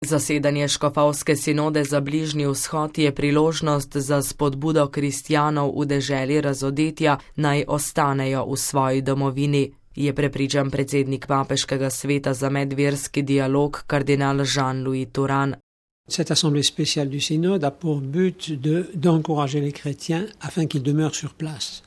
Zasedanje škofovske sinode za Bližnji vzhod je priložnost za spodbudo kristjanov v deželi razodetja, naj ostanejo v svoji domovini, je prepričan predsednik Papeškega sveta za medverski dialog kardinal Jean-Louis Turhan. Cette assemblée spéciale du synode a pour but d'encourager les chrétiens afin qu'ils demeurent sur place.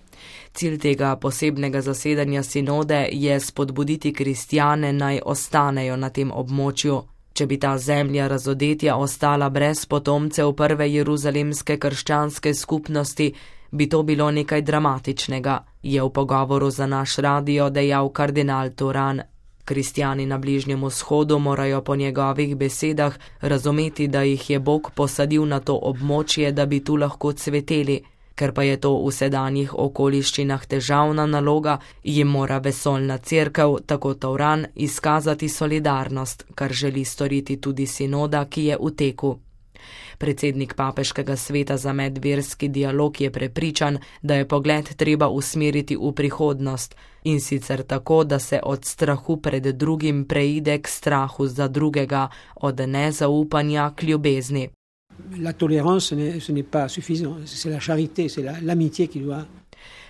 Cilj tega posebnega zasedanja sinode je spodbuditi kristjane, naj ostanejo na tem območju. Če bi ta zemlja razodetja ostala brez potomcev prve jeruzalemske krščanske skupnosti, bi to bilo nekaj dramatičnega, je v pogovoru za naš radio dejal kardinal Turhan. Kristjani na Bližnjem vzhodu morajo po njegovih besedah razumeti, da jih je Bog posadil na to območje, da bi tu lahko cveteli. Ker pa je to v sedanjih okoliščinah težavna naloga, jim mora vesoljna cerkev, tako Turhan, izkazati solidarnost, kar želi storiti tudi sinoda, ki je v teku. Predsednik Papeškega sveta za medverski dialog je prepričan, da je pogled treba usmeriti v prihodnost, in sicer tako, da se od strahu pred drugim preide k strahu za drugega, od nezaupanja k ljubezni. La tolérance, ce n'est pas suffisant, c'est la charité, c'est l'amitié qui doit.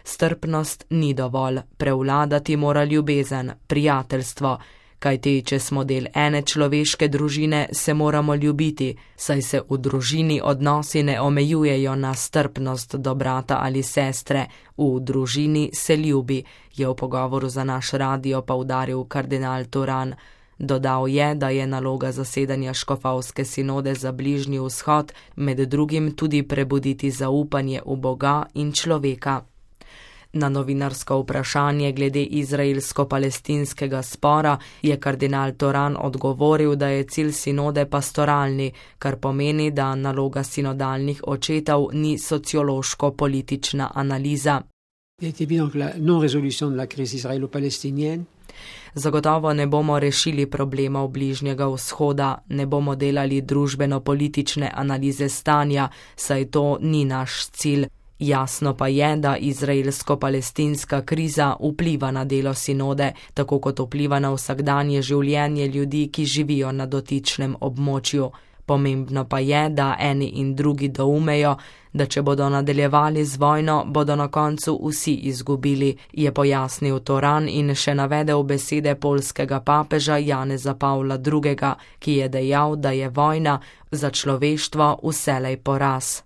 Strpnost ni dovolj, prevladati mora ljubezen, prijateljstvo, kajti če smo del ene človeške družine, se moramo ljubiti, saj se v družini odnosi ne omejujejo na strpnost do brata ali sestre, v družini se ljubi, je v pogovoru za naš radio poudaril kardinal Turhan. Dodal je, da je naloga zasedanja škofovske sinode za Bližnji vzhod med drugim tudi prebuditi zaupanje v Boga in človeka. Na novinarsko vprašanje glede izraelsko-palestinskega spora je kardinal Turhan odgovoril, da je cilj sinode pastoralni, kar pomeni, da naloga sinodalnih očetov ni sociološko-politična analiza. Zagotovo ne bomo rešili problemov Bližnjega vzhoda, ne bomo delali družbeno-politične analize stanja, saj to ni naš cilj. Jasno pa je, da izraelsko-palestinska kriza vpliva na delo sinode, tako kot vpliva na vsakdanje življenje ljudi, ki živijo na dotičnem območju. Pomembno pa je, da eni in drugi doumejo, da če bodo nadaljevali z vojno, bodo na koncu vsi izgubili, je pojasnil Turhan in še navedel besede poljskega papeža Janeza Pavla II., ki je dejal, da je vojna za človeštvo vselej poraz.